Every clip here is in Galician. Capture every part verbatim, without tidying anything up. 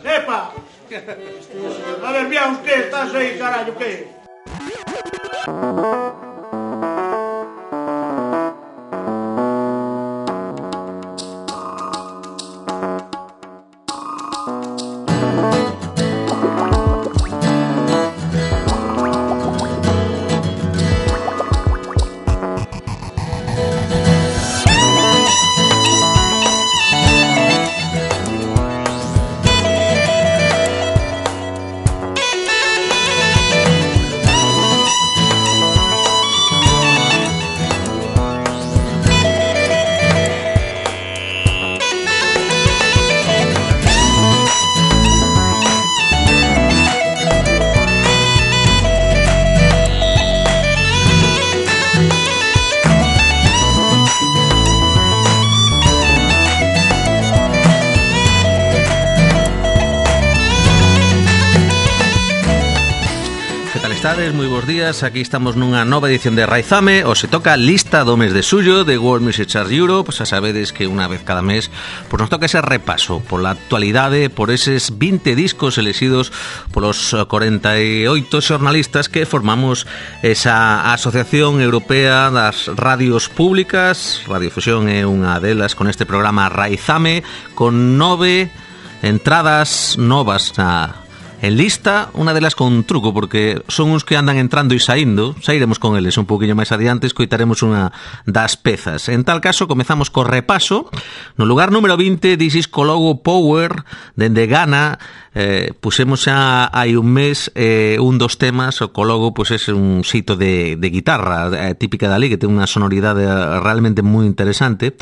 ¡Epa! A ver, bien, usted, estás ahí, carajo, ¿qué? Moi bons días, aquí estamos nunha nova edición de Raizame. O se toca lista do mes de xullo de World Music Chart Europe. Xa sabedes que unha vez cada mes pues nos toca ese repaso pola actualidade, por eses vinte discos elexidos polos cuarenta e oito xornalistas que formamos esa Asociación Europea das Radios Públicas. Radiofusión é unha delas con este programa Raizame, con nove entradas novas na en lista, unha delas con truco, porque son uns que andan entrando e saindo. Sairemos con eles un poquinho máis adiante, escoitaremos unha das pezas. En tal caso, comezamos co repaso. No lugar número vinte, This is Cologo Power, dende Ghana. Eh, pusemos xa hai un mes eh, un dos temas. O Cologo pues, é un xito de, de guitarra eh, típica dali, que ten unha sonoridade realmente moi interesante.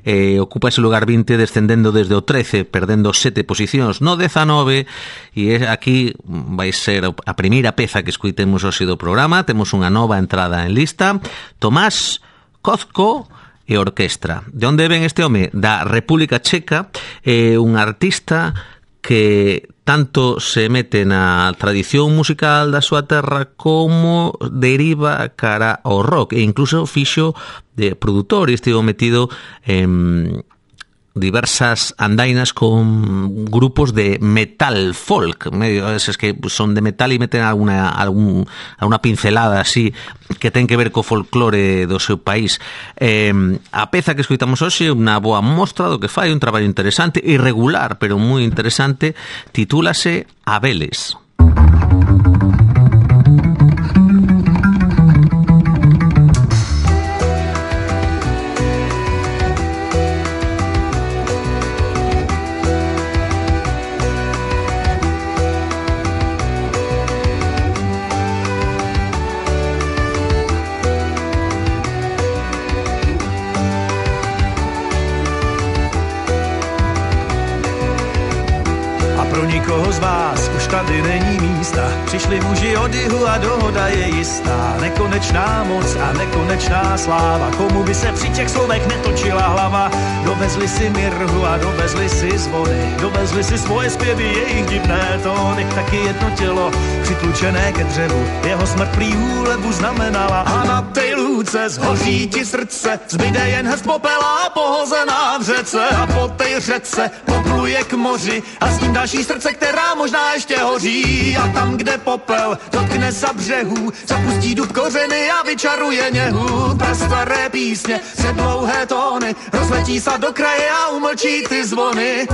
Eh, ocupa ese lugar vinte, descendendo desde o trece, perdendo sete posicións no dezanove, e é aquí vai ser a primeira peza que escoitemos hoxe do programa. Temos unha nova entrada en lista, Tomás Kozko e Orquestra. De onde ven este home? Da República Checa. É un artista que tanto se mete na tradición musical da súa terra como deriva cara ao rock, e incluso fixo de produtor e estivo metido en diversas andainas con grupos de metal folk, medio eses que son de metal e meten alguna algún alguna pincelada así que ten que ver co folclore do seu país. Eh, a peza que escoitamos hoxe é unha boa mostra do que fai, un traballo interesante, irregular, pero moi interesante. Titúlase Abeles. Nikoho z vás už tady není místa, přišli muži od jihu a dohoda je jistá. Nekonečná moc a nekonečná sláva, komu by se při těch slovech netočila hlava. Dovezli si mirhu a dovezli si zvony, dovezli si svoje zpěvy, jejich divné tóny. Taky jedno tělo přitlučené ke dřevu, jeho smrt prý úlevu znamenala. A na tej lůce zhoří ti srdce, zbyde jen hrst popela pohozená v řece. A po tej řece popluje k moři a s ním další srdce, která možná ještě hoří. A tam, kde popel dotkne sa břehů, zapustí dub kořeny a vyčaruje něhu. Prastaré písně, předlouhé tóny, rozletí sa do kraje a umlčí ty zvony.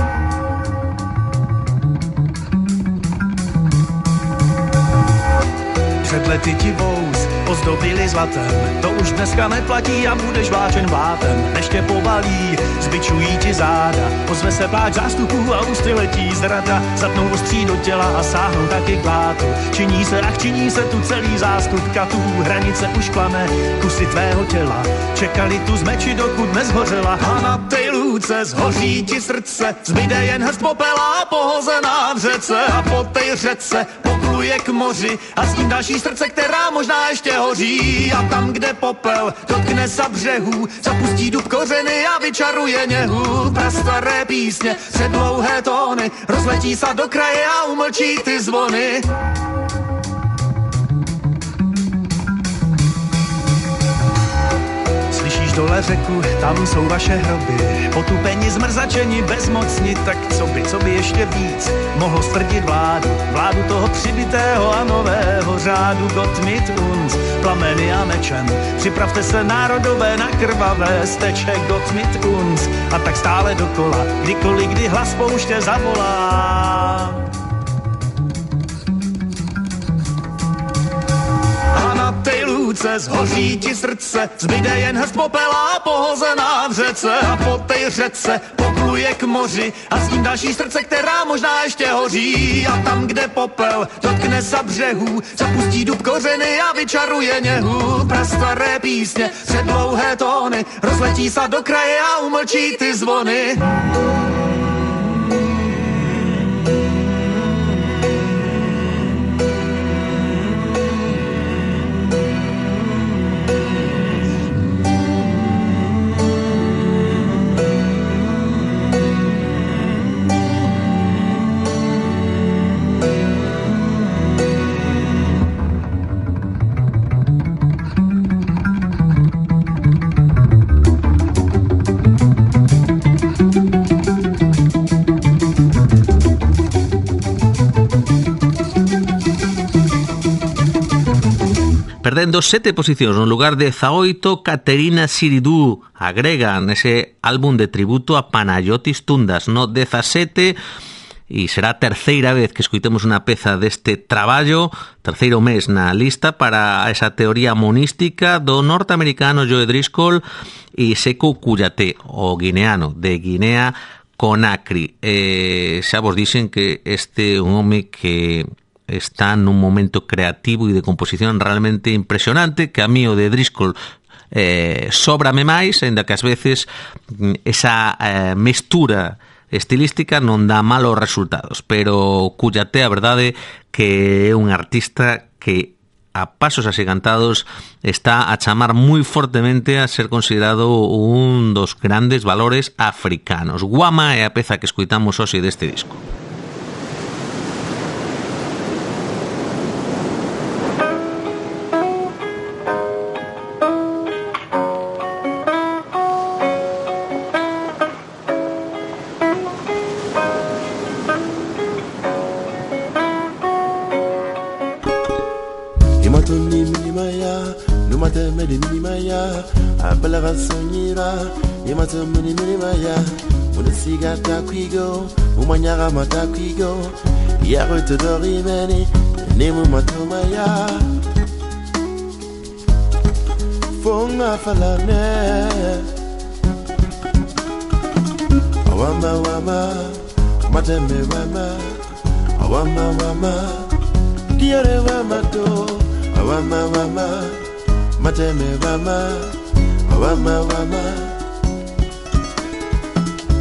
Před lety ti vous ozdobili zlatem, to už dneska neplatí a budeš vláčen blátem. Než tě povalí, zbičují ti záda, ozve se pláč zástupů a ústy letí zrada. Zatnou ostří do těla a sáhnou taky k blátu, činí se, ach činí se tu celý zástup katů. Hranice už plane, kusy tvého těla čekali tu z meči, dokud nezhořela. A na tej lůce zhoří ti srdce, zbyde jen hrst popela pohozená v řece. A po tej řece popluje k moři a s ním další srdce, která možná ještě hoří. A tam, kde popel dotkne sa břehů, zapustí dub kořeny a vyčaruje něhu. Prastaré písně, předlouhé tóny, rozletí sa do kraje a umlčí ty zvony. Slyšíš dole řeku, tam jsou vaše hroby. Potupeni, zmrzačeni, bezmocni, tak co by, co by ještě víc mohlo stvrdit vládu, vládu toho přibitého a nového řádu. Gott mit uns, plameny a mečem, připravte se národové na krvavé steče. Gott mit uns, a tak stále dokola, kdykoliv, kdy hlas pouště zavolá. A na tej lůce zhoří ti srdce, zbyde jen hrst popela pohozená v řece. A po tej řece popluje k moři a s ním další srdce, která možná ještě hoří. A tam, kde popel dotkne sa břehů, zapustí dub kořeny a vyčaruje něhu. Prastaré písně, předlouhé tóny, rozletí sa do kraje a umlčí ty zvony. Perdendo sete posicións no lugar de dezaoito, Caterina Siridou agregan ese álbum de tributo a Panayotis Tundas no dezasete, e será a terceira vez que escoitemos unha peza deste traballo, terceiro mes na lista para esa teoría monística do norteamericano Joe Driscoll e Sekou Kouyaté, o guineano de Guinea Conakry. Eh, xa vos dixen que este é un home que está nun momento creativo e de composición realmente impresionante, que a mí o de Driscoll eh, sóbrame máis, ainda que ás veces esa eh, mestura estilística non dá malos resultados, pero Kouyaté a verdade que é un artista que a pasos axigantados está a chamar moi fortemente a ser considerado un dos grandes valores africanos. Guama é a peza que escoitamos hoxe deste disco. Umanyara matakwigo yaro todori meni nemu matumaya fonga falane awama wama mateme wama awama wama diare wama to awama wama mateme wama awama wama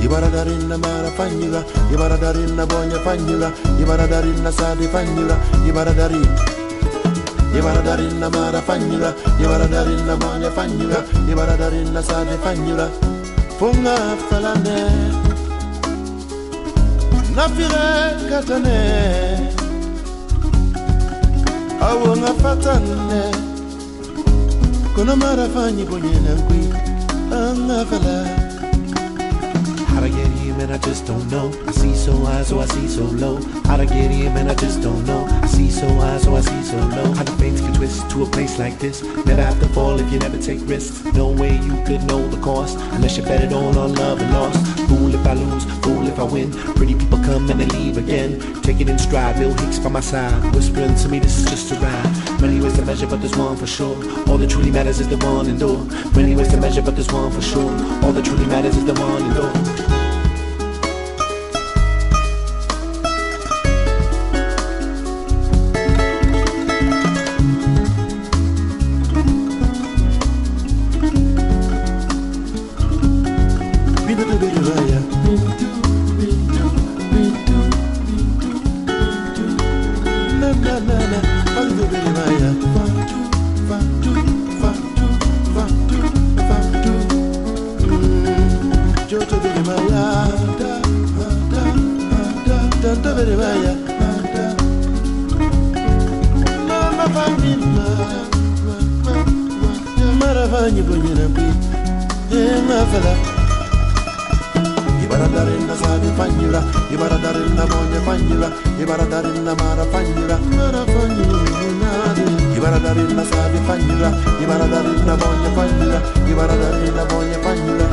Ibaradarinna mara fanyula, Ibaradarinna bonya fanyula, Ibaradarinna sadi fanyula, Ibaradari. Ibaradarinna mara fanyula, Ibaradarinna bonya fanyula, Ibaradarinna sadi fanyula. Funga falane, nafire katane, awonga fatane, kono mara fanyi bonye nankwi, anga fala. How'd I get here, man, I just don't know. I see so high, so I see so low. How'd I get here, man, I just don't know. I see so high, so I see so low. How the fates can twist to a place like this. Never have to fall if you never take risks. No way you could know the cost unless you bet it all on love and loss. Fool if I lose, fool if I win. Pretty people come and they leave again. Take it in stride, Bill Hicks by my side, whispering to me this is just a ride. Many ways to measure, but there's one for sure. All that truly matters is the one endure. Many ways to measure, but there's one for sure. All that truly matters is the one endure. Yeah, my fella. Ibaradarinna sabe fanyula, Ibaradarinna monya fanyula, Ibaradarinna mara fanyula, mara fanyula. Ibaradarinna sabe fanyula, Ibaradarinna monya fanyula, Ibaradarinna monya fanyula.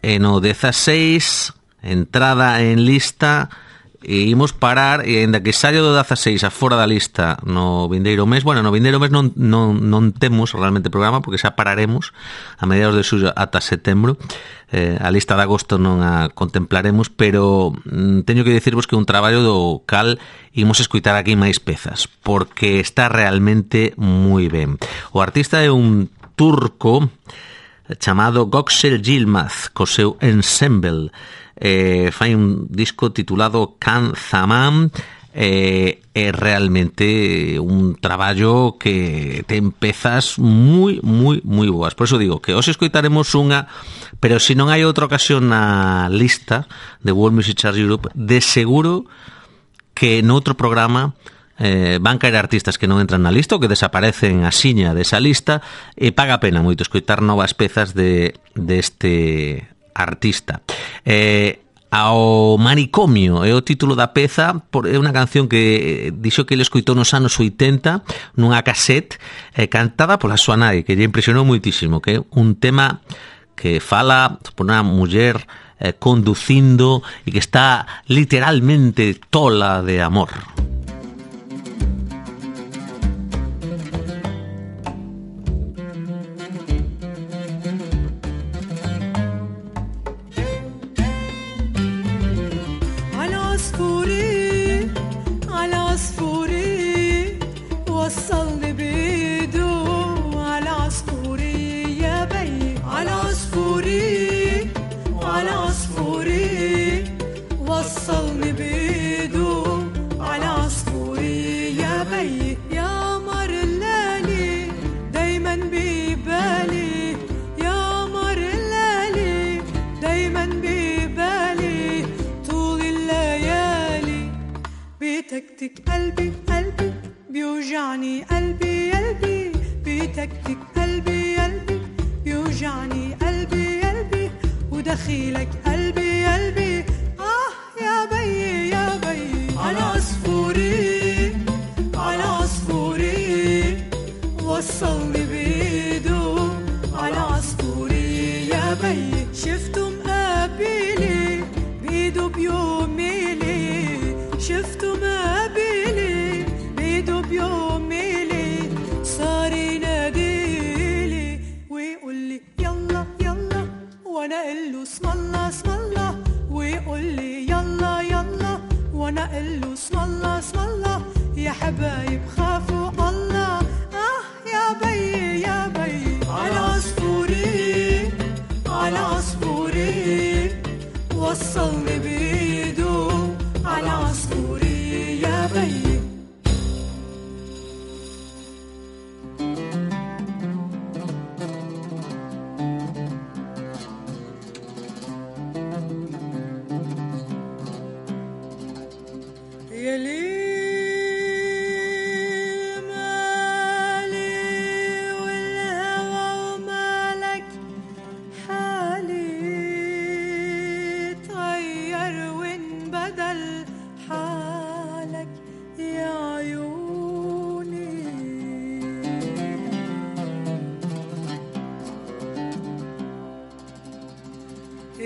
E no dezaseis, entrada en lista, e imos parar, e ainda que saio do dezaseis a fora da lista no vindeiro mes, bueno, no vindeiro mes non, non, non temos realmente programa, porque xa pararemos a mediados de xullo ata setembro. Eh, a lista de agosto non a contemplaremos, pero mm, teño que dicirvos que un traballo do cal imos escutar aquí máis pezas, porque está realmente moi ben. O artista é un turco chamado Göksel Yilmaz, co seu ensemble. Eh, fai un disco titulado Kan Zaman, eh, é realmente un traballo que ten pezas moi, moi, moi boas. Por eso digo que hoxe escoitaremos unha, pero se non hai outra ocasión na lista de World Music Charts Europe, de seguro que noutro programa Eh, van caer artistas que non entran na lista ou que desaparecen a siña desa lista, e paga pena moito escoitar novas pezas de deste artista. Eh, ao Manicomio é o título da peza, por, é unha canción que dixo que ele escoitou nos anos oitenta nunha cassette eh, cantada pola súa nai, que lle impresionou moitísimo, que é un tema que fala por unha muller eh, conducindo e que está literalmente tola de amor. بتكتك قلبي قلبي بيوجعني قلبي قلبي بتكتك قلبي قلبي بيوجعني قلبي قلبي ودخيلك قلبي قلبي آه يا بي يا بي على عصفوري على عصفوري وصلني بيدو على عصفوري يا بي شفته مقابلي بيدو بيوميلي شفته مقابلي بيدو بيوميلي صار يناديلي ويقولي يلا يلا وانا قله اسم الله اسم الله ويقولي يلا يلا وانا قله اسم الله اسم الله يا حبايب خافوا الله اه يا بي يا بي على عصفوري على عصفوري وصلني بيدو على عصفوري يا بي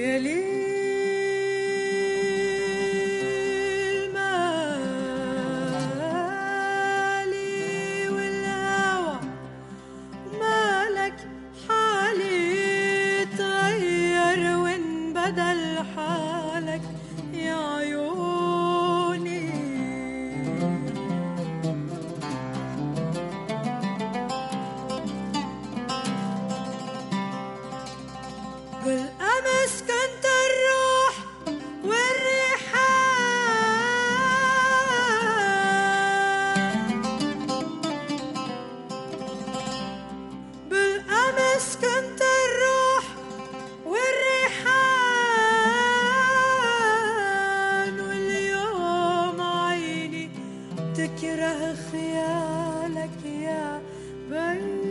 يا ليل مالي والهوى مالك حالي تغير وانبدل حالك يا عيوني بالأمس كنت الروح والريحان بالأمس كنت الروح والريحان واليوم عيني تكره خيالك يا بي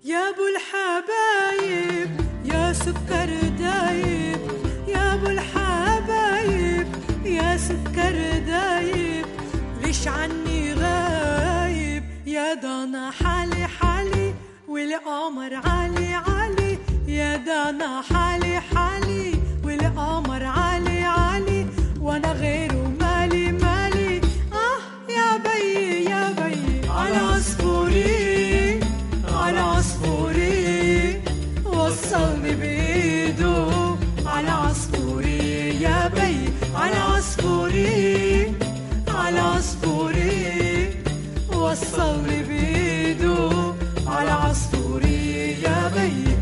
يا ابو الحبايب يا سكر دايب يا ابو الحبايب يا سكر دايب ليش عني غايب يا دانا حالي حالي والقمر عالي عالي يا دانا حالي حالي والقمر عالي عالي وانا غيره مالي مالي اه يا بي يا بي على عصفوري على عصفوري وصلني بإيده على عصفوري يا بي على عصفوري على عصفوري وصلني بإيده على عصفوري يا بي.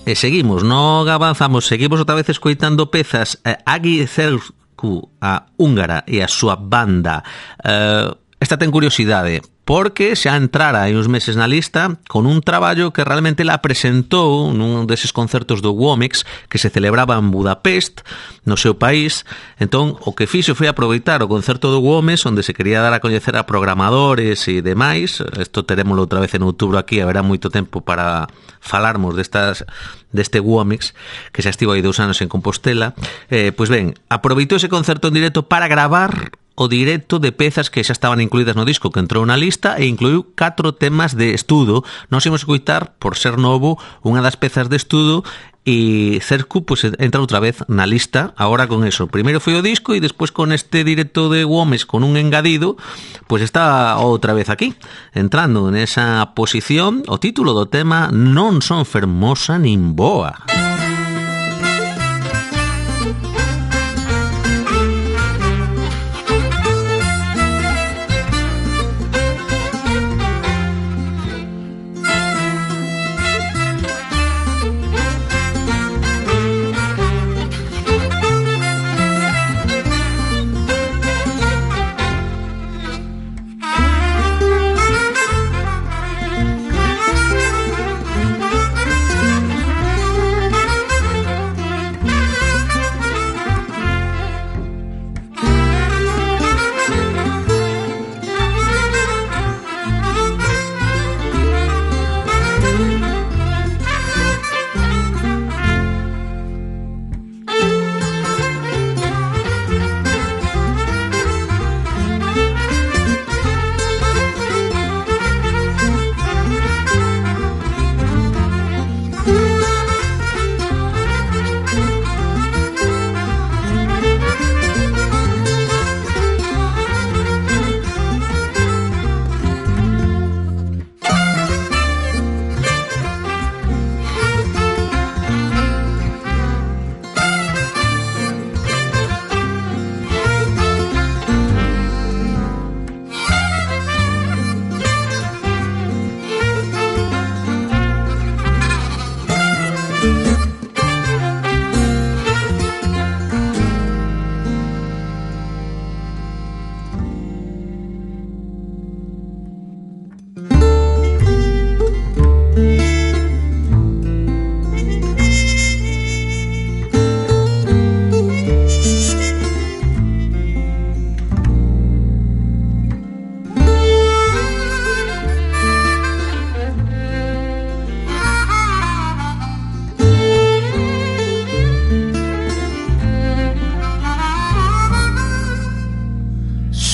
E seguimos, non avanzamos, seguimos outra vez escoitando pezas. eh, Agi Cercu, a húngara e a súa banda. eh, Esta ten curiosidade, porque xa entrara hai uns meses na lista con un traballo que realmente la presentou nun deses concertos do Womex que se celebraba en Budapest, no seu país. Entón, o que fixo foi aproveitar o concerto do Womex, onde se quería dar a coñecer a programadores e demais. Isto terémolo outra vez en outubro aquí, haberá moito tempo para falarmos destas, deste Womex, que xa estivo aí dous anos en Compostela. Eh, pois ben, aproveitou ese concerto en directo para gravar o directo de pezas que xa estaban incluídas no disco que entrou na lista e incluiu catro temas de estudo. Nós imos escoitar, por ser novo, unha das pezas de estudo e Cercu pues, entra outra vez na lista agora con eso. Primeiro foi o disco e despois con este directo de Womex con un engadido, pues está outra vez aquí, entrando nesa posición. O título do tema Non son fermosa nin boa.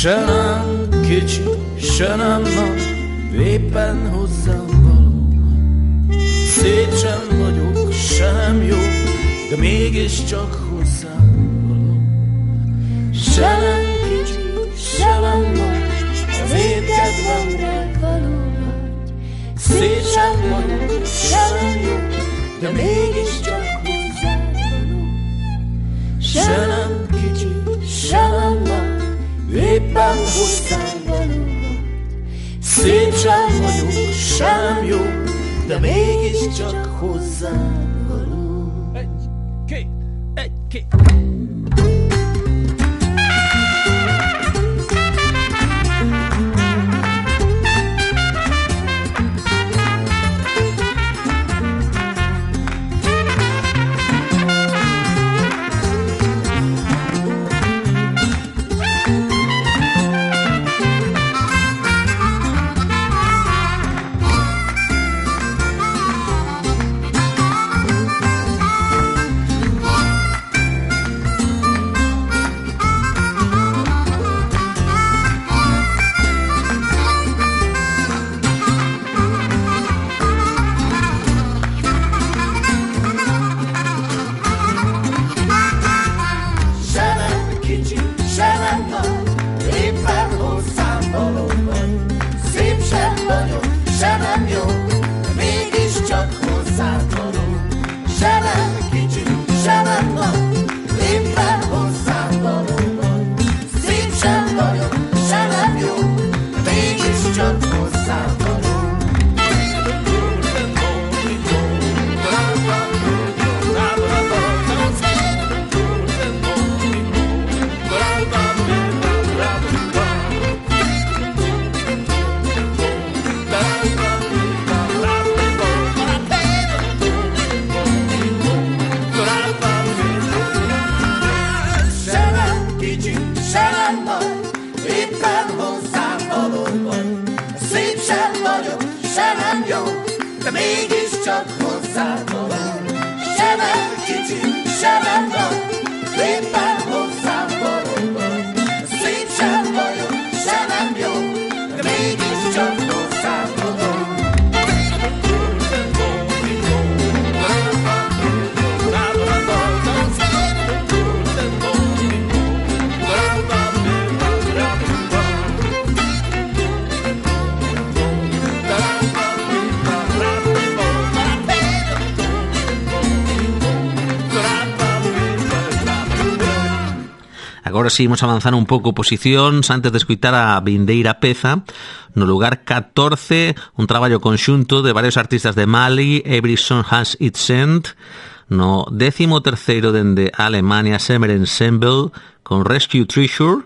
Se nem kicsi, se nem nagy, éppen hozzám való. Szép sem vagyok, sem jó, de mégiscsak hozzám való. Se nem kicsi, se nem nagy, az én kedvemre való vagy. Szép sem vagyok, sem jó, de mégiscsak hozzám való. Se nem kicsi, se nem nagy, éppen hozzám való vagy. Szép sem vagyok, sem jó, de mégiscsak hozzám való. Egy, két, egy, két. Agora si imos avanzar un pouco posicións antes de escutar a vindeira peza. No lugar catorce, un traballo conxunto de varios artistas de Mali, Every Song Has Its End. No décimo terceiro dende Alemania, Summer Ensemble con Rescue Treasure.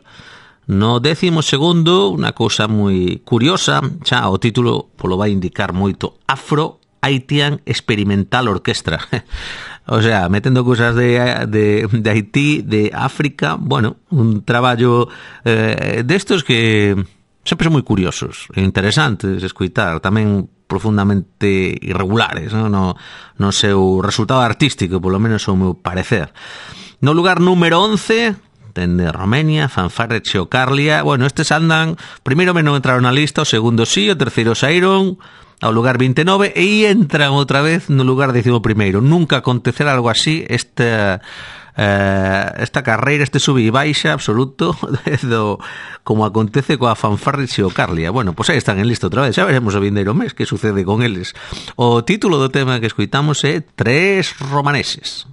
No décimo segundo, unha cousa moi curiosa, xa o título polo vai indicar moito, Afro Haitian Experimental Orchestra. O sea, metendo cousas de, de, de Haití, de África, bueno, un traballo eh, destos que sempre son moi curiosos e interesantes de escutar, tamén profundamente irregulares, no, no, no seu resultado artístico, polo menos ao meu parecer. No lugar número once, dende Romania, Fanfarre Xeocarlia. Bueno, estes andan, primeiro me non entraron na lista, o segundo sí, o terceiro saíron ao lugar veintinueve e entran outra vez no lugar décimo primeiro. Nunca acontecerá algo así, esta eh, esta carreira, este sube e baixa absoluto do, como acontece coa Fanfarre Xeocarlia. Bueno, pois aí están en lista outra vez, xa veremos o vindeiro mes que sucede con eles. O título do tema que escoitamos é Tres Romaneses.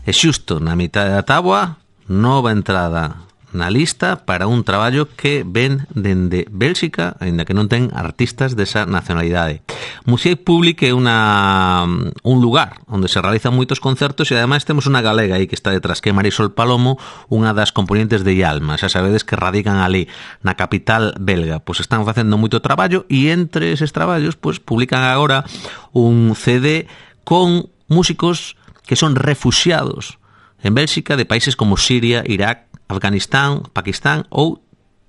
E xusto na mitad da táboa, nova entrada na lista para un traballo que ven dende Bélxica, aínda que non ten artistas desa nacionalidade. Music Public é unha, un lugar onde se realizan moitos concertos e ademais temos unha galega aí que está detrás, que é Marisol Palomo, unha das componentes de Yalma. Xa sabedes que radican ali na capital belga. Pois están facendo moito traballo e entre eses traballos pois publican agora un C D con músicos que son refuxiados en Bélxica de países como Siria, Irak, Afganistán, Pakistán ou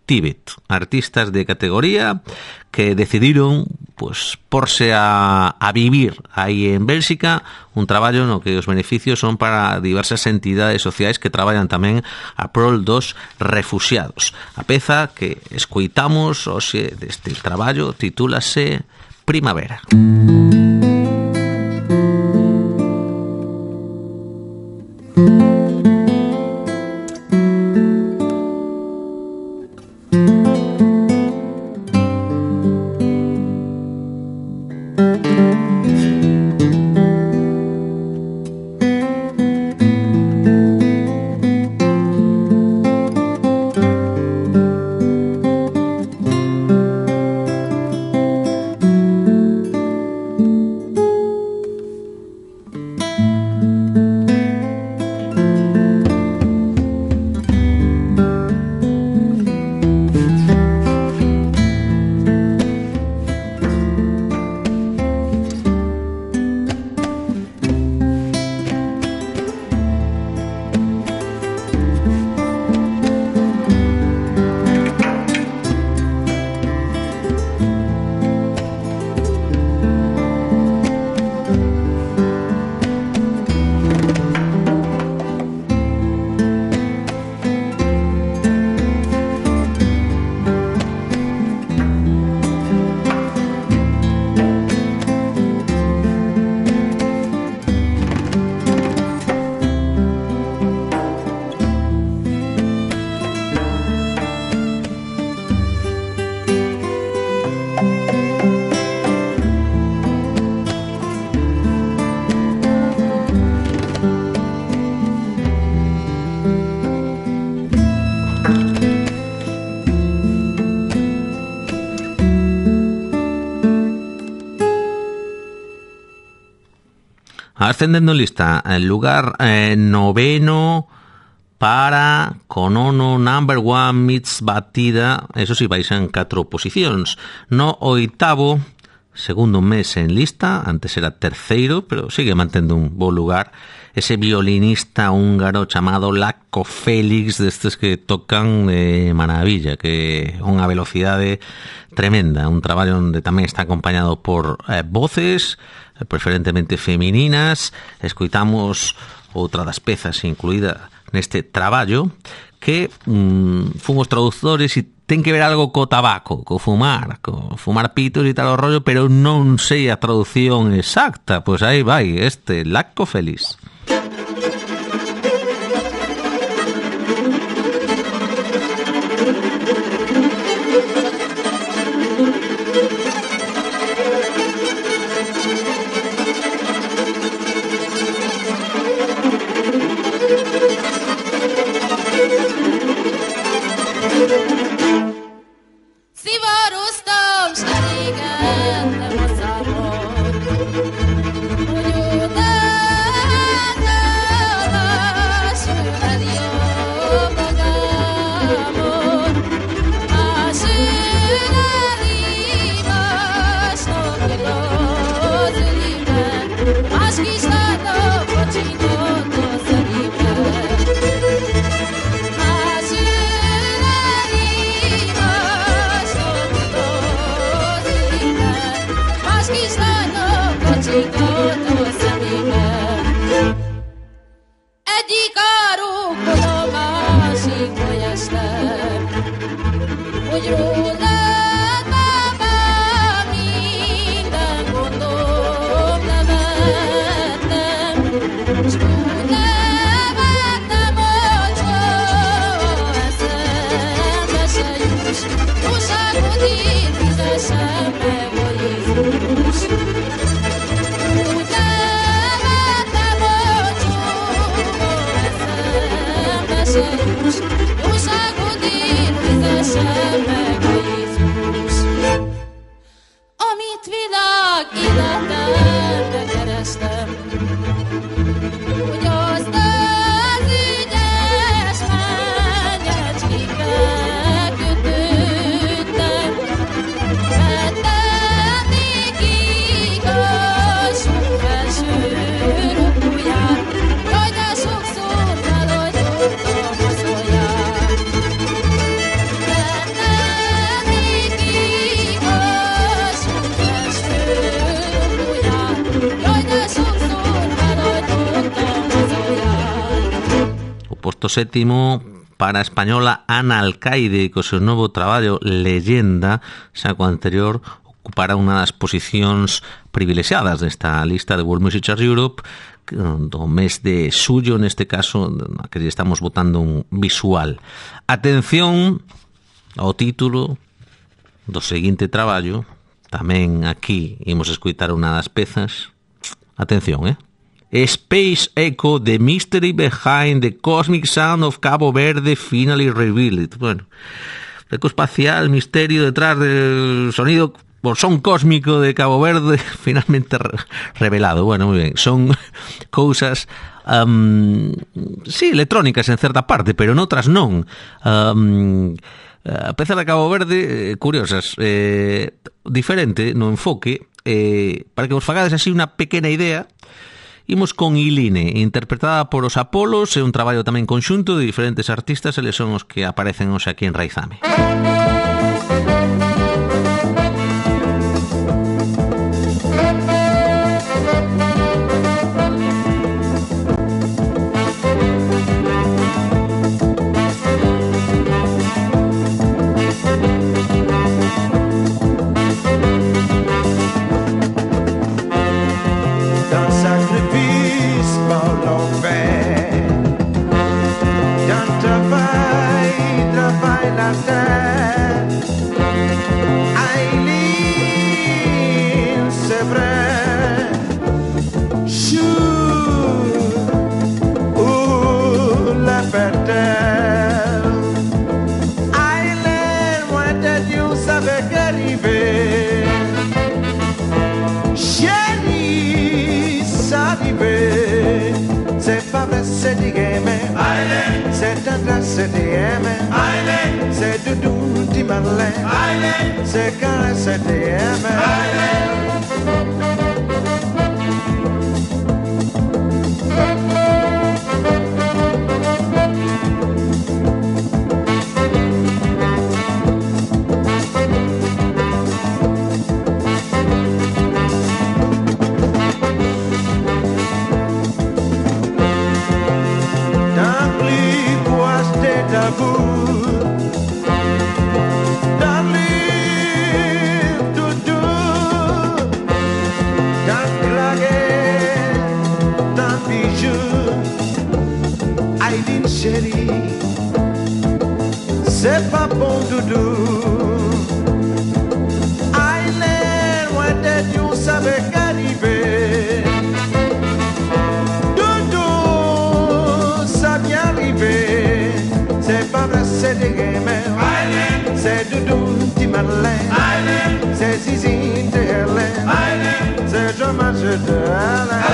Tíbet. Artistas de categoría que decidiron pues, porse a, a vivir aí en Bélxica, un traballo no que os beneficios son para diversas entidades sociais que traballan tamén a prol dos refuxiados. A peza que escoitamos hoxe deste traballo titúlase Primavera. Ascendendo lista, el lugar eh, noveno para Conono Number One Meets Batida, eso sí, vais en catro posicións. No oitavo, segundo mes en lista, antes era terceiro, pero sigue mantendo un bo lugar, ese violinista húngaro chamado Lacko Félix, destes que tocan de maravilla, que é unha velocidade tremenda, un traballo onde tamén está acompañado por eh, voces, preferentemente femininas. Escoitamos outra das pezas incluída neste traballo que mm, fun os traductores e ten que ver algo co tabaco, co fumar, co fumar pitos e tal o rollo, pero non sei a traducción exacta. Pois aí vai, este Lacko Félix. Thank you. posto sétimo para a española Ana Alcaide, co seu novo traballo Leyenda, xa co anterior ocupará unha das posicións privilexiadas desta lista de World Music Charts Europe do mes de xullo, neste caso, na que estamos botando un visual. Atención ao título do seguinte traballo, tamén aquí imos escutar unha das pezas. Atención, eh? Space Echo, The Mystery Behind the Cosmic Sound of Cabo Verde Finally Revealed. Bueno, eco espacial, misterio detrás del sonido, o son cósmico de Cabo Verde finalmente re- revelado. Bueno, moi ben, son cousas um, sí, electrónicas en certa parte, pero noutras non. Um, a peza de Cabo Verde, eh, curiosas, eh, diferente no enfoque, eh, para que vos fagades así unha pequena idea. Imos con Iline, interpretada por os Apolos, é un traballo tamén conxunto de diferentes artistas, eles son os que aparecen hoxe aquí en Raizame. C'est D M, c'est Doudou di Marlène, c'est Carré, c'est D M. C'est pas bon doudou. Aileen, loin d'être, you savais qu'arriver. Doudou, ça vient arriver. C'est pas vrai, c'est des gamins. Aileen, c'est Doudou, di Marlène. Aileen, c'est Zizi de Hélène. Aileen, c'est Jean-Marc de Alain.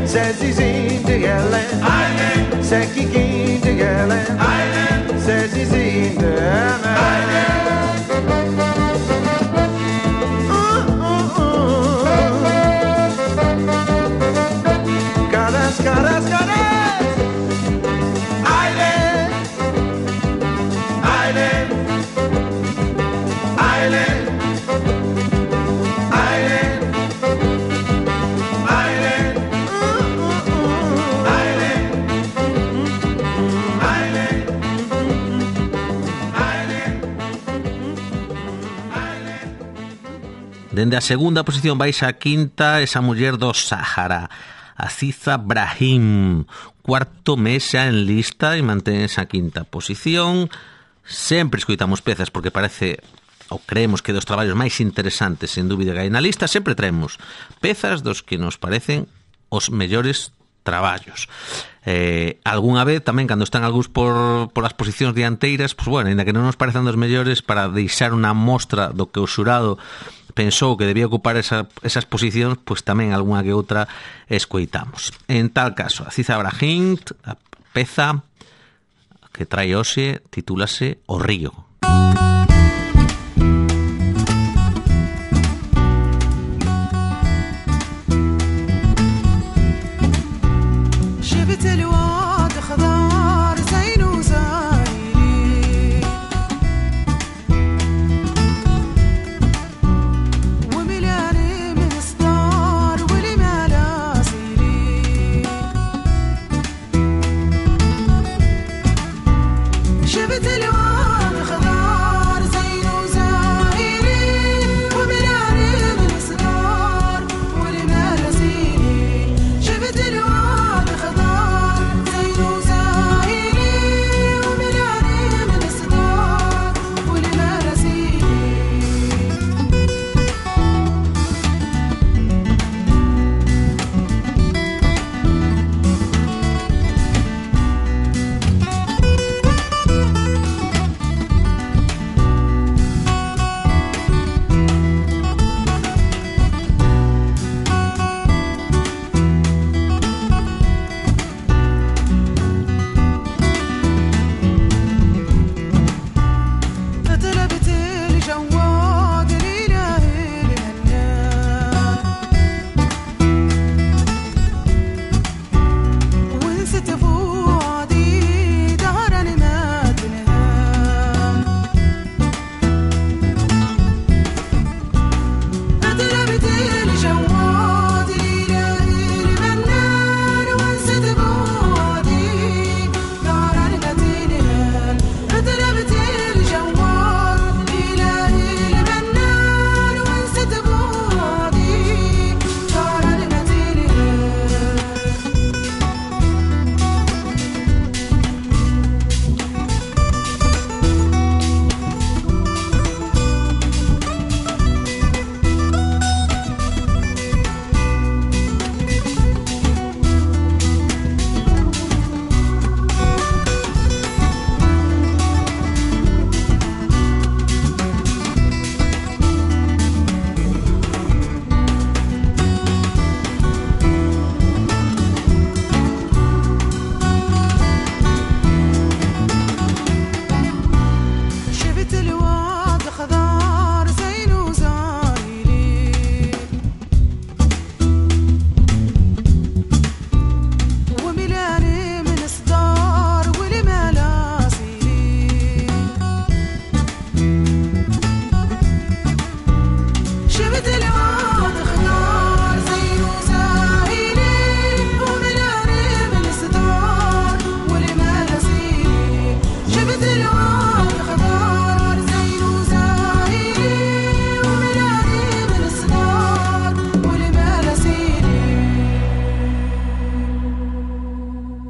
C'est Zizi de Hélène, c'est Kiki de Hélène, c'est Zizi de Hélène. Caresse, caresse, caresse. Aileen, Aileen, Aileen. Dende a segunda posición baixa a quinta esa muller do Sahara, Aziza Brahim, cuarto mes xa en lista e mantén esa quinta posición. Sempre escoitamos pezas porque parece ou creemos que dos traballos máis interesantes, sen dúbida, que hai na lista, sempre traemos pezas dos que nos parecen os mellores traballos. Eh, algunha vez tamén cando están algúns por, por as posicións dianteiras, pues bueno, ainda que non nos parecen dos mellores, para deixar unha mostra do que o xurado pensou que debía ocupar esa, esas posicións, pues tamén algunha que outra escoitamos. En tal caso, a Aziz Abrahim, a peza que trae hoxe, titúlase O Río.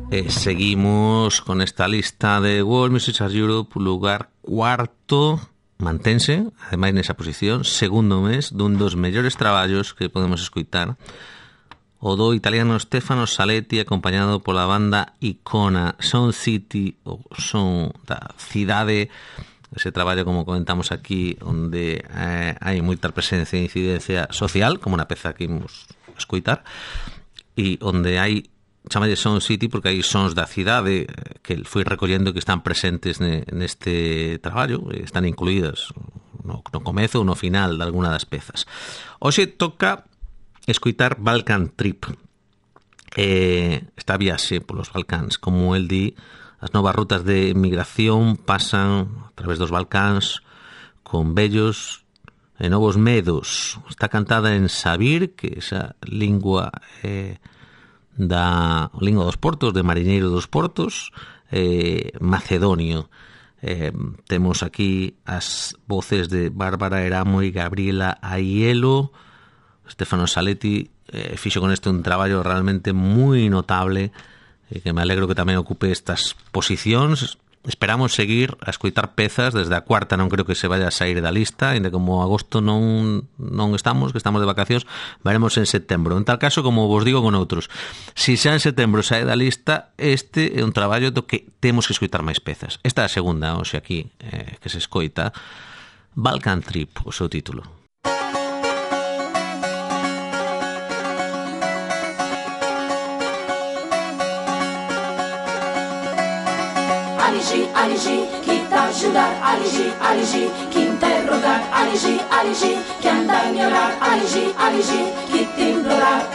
Eh, seguimos con esta lista de World Music Charts Europe, lugar cuarto, mantense, ademais nesa posición, segundo mes dun dos mellores traballos que podemos escoitar, o do italiano Stefano Saletti, acompañado pola banda Icona, Sound City, ou Son da Cidade, ese traballo, como comentamos aquí, onde eh, hai moita presencia e incidencia social, como na peza que imos escoitar, e onde hai, chamalle Sound City porque hai sons da cidade que foi recollendo que están presentes neste traballo, están incluídas no, no comezo ou no final de alguna das pezas. Hoxe toca escoitar Balkan Trip, eh, esta viaxe polos Balcáns, como el di, as novas rutas de migración pasan a través dos Balcáns con vellos e novos medos. Está cantada en sabir, que esa lingua eh, da lingua dos portos, de mariñeiro dos portos, eh, macedonio. Eh, temos aquí as voces de Bárbara Eramo e Gabriela Aiello. Stefano Saletti eh, fixo con este un traballo realmente moi notable, eh, que me alegro que tamén ocupe estas posicións esperamos seguir a escoitar pezas desde a cuarta, non creo que se vaya a sair da lista, ainda como agosto non non estamos, que estamos de vacacións, veremos en setembro. En tal caso, como vos digo con outros, si xa en setembro sae da lista, este é un traballo do que temos que escoitar máis pezas. Esta é a segunda, hoxe aquí, eh, que se escoita, Balkan Trip, o seu título. Aligi, Aligi, chi t'ajudar, Aligi, Aligi, chi interrogar, Aligi, Aligi, chi andar a ignorar, Aligi, Aligi, chi t'implorar.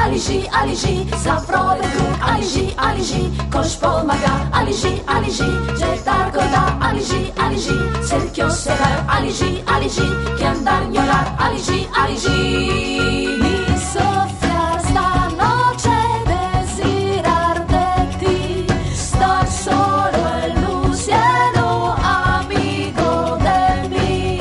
Aligi, Aligi, zavrode kruk, Aligi, Aligi, koš pomaga, Aligi, Aligi, žetar goda, Aligi, Aligi, cerchio segar, Aligi, Aligi, che andar a ignorar, Aligi, Aligi. Mi sofia sta noche desirar de ti, star solo el luciano amigo de mí.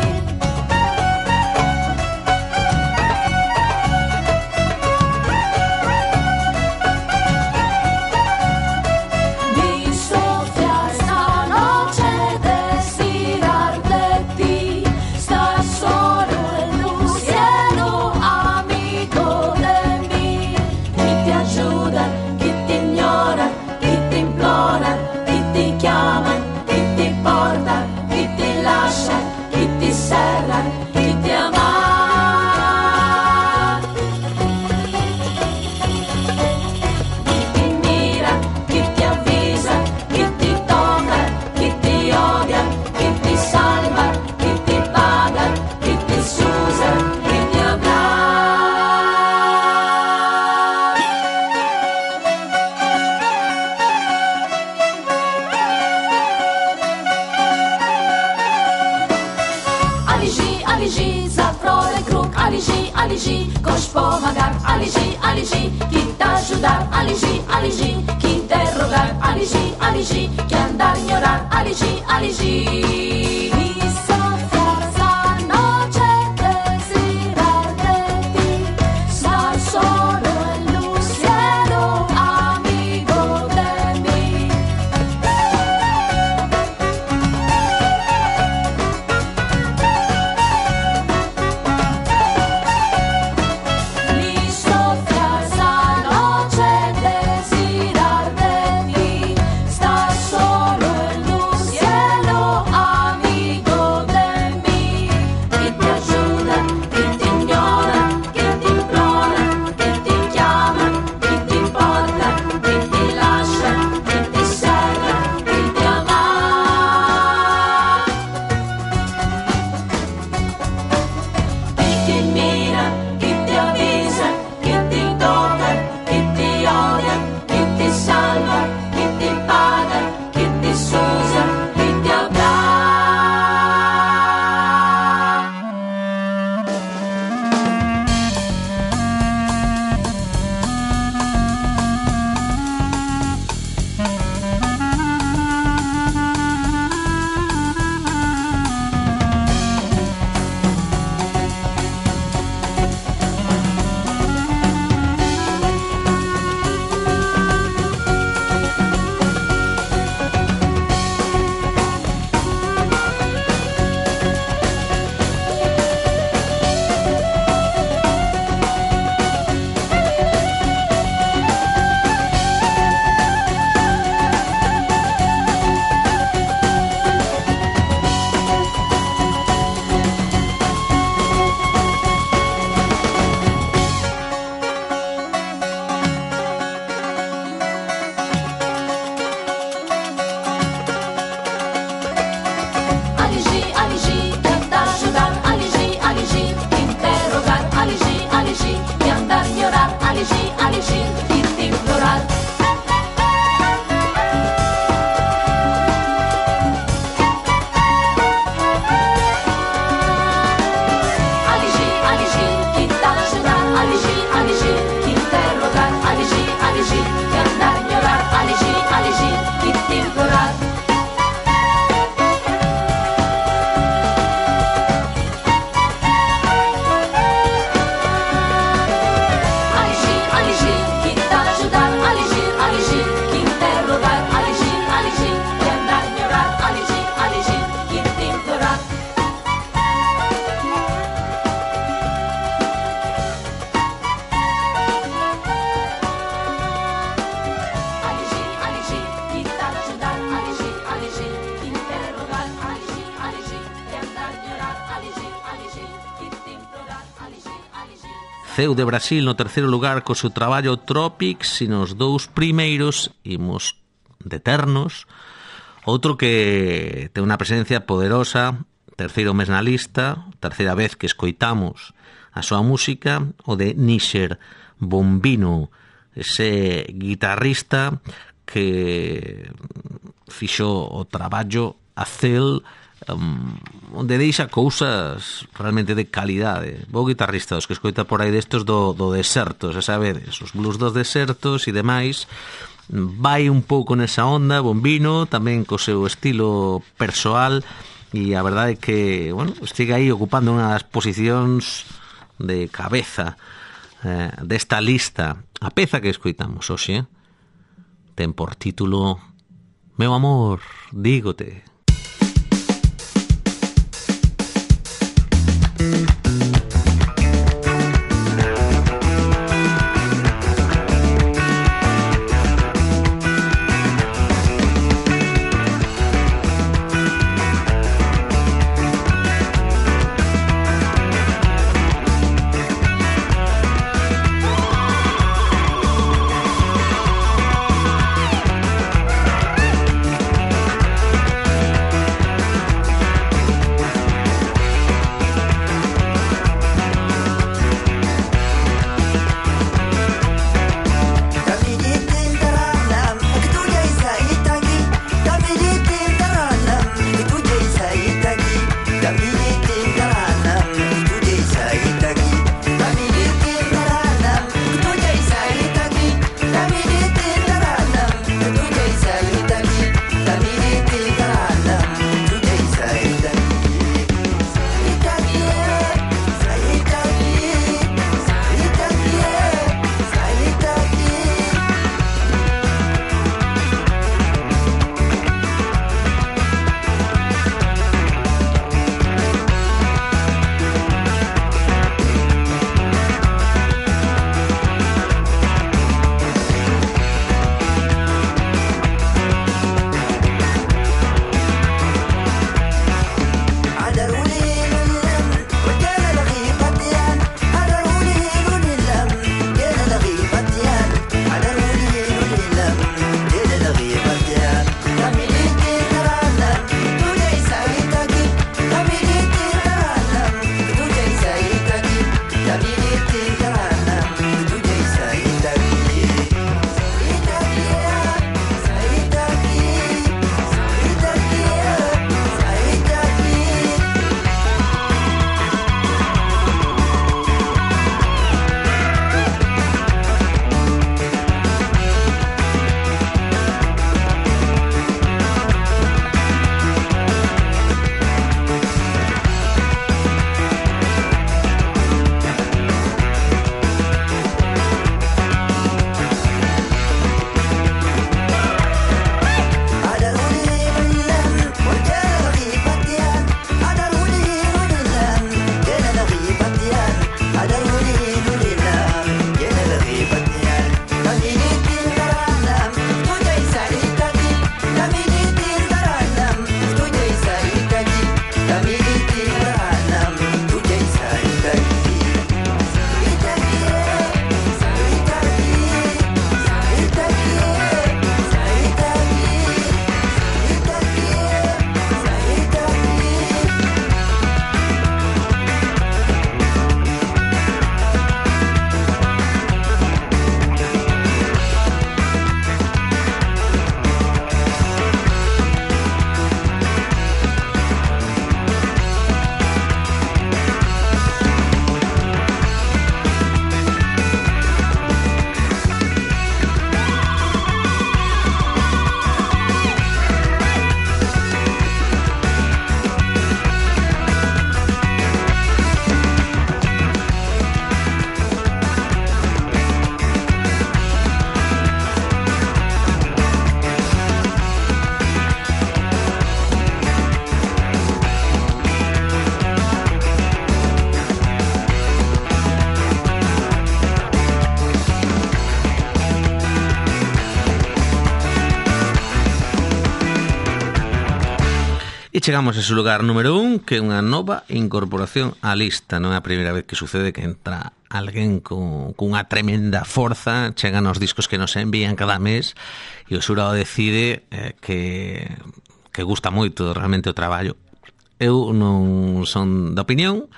Aligi, koš pomagar, Aligi, Aligi, chi t'ajudar, Aligi, Aligi, chi interrogar, Aligi, Aligi, chi andar a ignorar, Aligi, Aligi. Mi sofia sta noche desirar de ti, star solo el luciano amigo de mí. Amigo Ceu de Brasil no terceiro lugar co seu traballo Tropics, e nos dous primeiros imos de Ternos, outro que ten unha presencia poderosa, terceiro mes na lista, terceira vez que escoitamos a súa música, o de Níger Bombino, ese guitarrista que fixo o traballo Acel, um, onde deixa cousas realmente de calidade. Bo guitarrista, os que escoita por aí destos do, do deserto, xa sabedes, os blues dos desertos e demais. Vai un pouco nesa onda, Bombino, tamén co seu estilo persoal, e a verdade é que, bueno, estiga aí ocupando unha das posicións de cabeza eh, desta lista. A peza que escoitamos hoxe ten por título Meu amor, dígote. chegamos a ese lugar número un, que é unha nova incorporación á lista. Non é a primeira vez que sucede que entra alguén con, con unha tremenda forza, chegan os discos que nos envían cada mes e o xurado decide eh, que, que gusta moito realmente o traballo. Eu non son da opinión,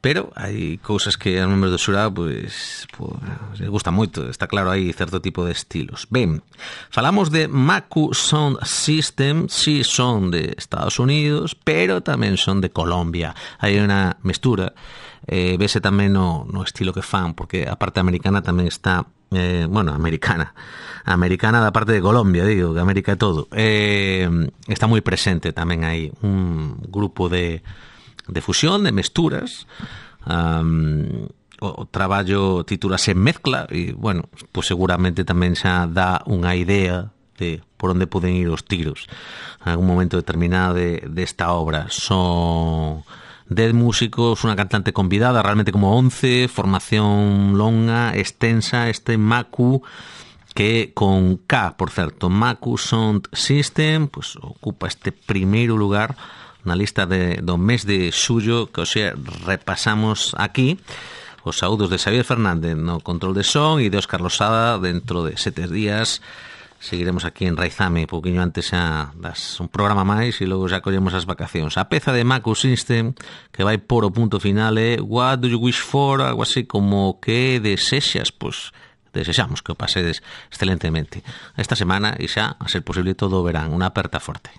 pero hai cousas que a membros do xurado pois, pois les gusta moito, está claro, hai certo tipo de estilos. Ben, falamos de Maku Sound System, si son de Estados Unidos, pero tamén son de Colombia. Hai unha mestura, eh, vese tamén no, no estilo que fan, porque a parte americana tamén está, eh, bueno, americana, americana da parte de Colombia, digo, que América é todo. Eh, está moi presente tamén hai un grupo de de fusión, de mesturas. Um, o, o traballo titúlase Mezcla e, bueno, pues seguramente tamén xa dá unha idea de por onde poden ir os tiros en algún momento determinado de, de esta obra. Son dez músicos, unha cantante convidada, realmente como once, formación longa, extensa, este Maku, que con K, por certo, Maku Sound System, pues ocupa este primeiro lugar na lista de, do mes de xullo, que hoxe repasamos aquí. Os saúdos de Xavier Fernández no control de son e de Óscar Losada. Dentro de sete días seguiremos aquí en Raizame, pouquiño antes xa das un programa máis e logo xa collemos as vacacións. A peza de Maku System que vai por o punto final é What do you wish for? Algo así como que desexas, pois desexamos que o pasedes excelentemente esta semana e xa, a ser posible, todo o verán. Unha aperta forte.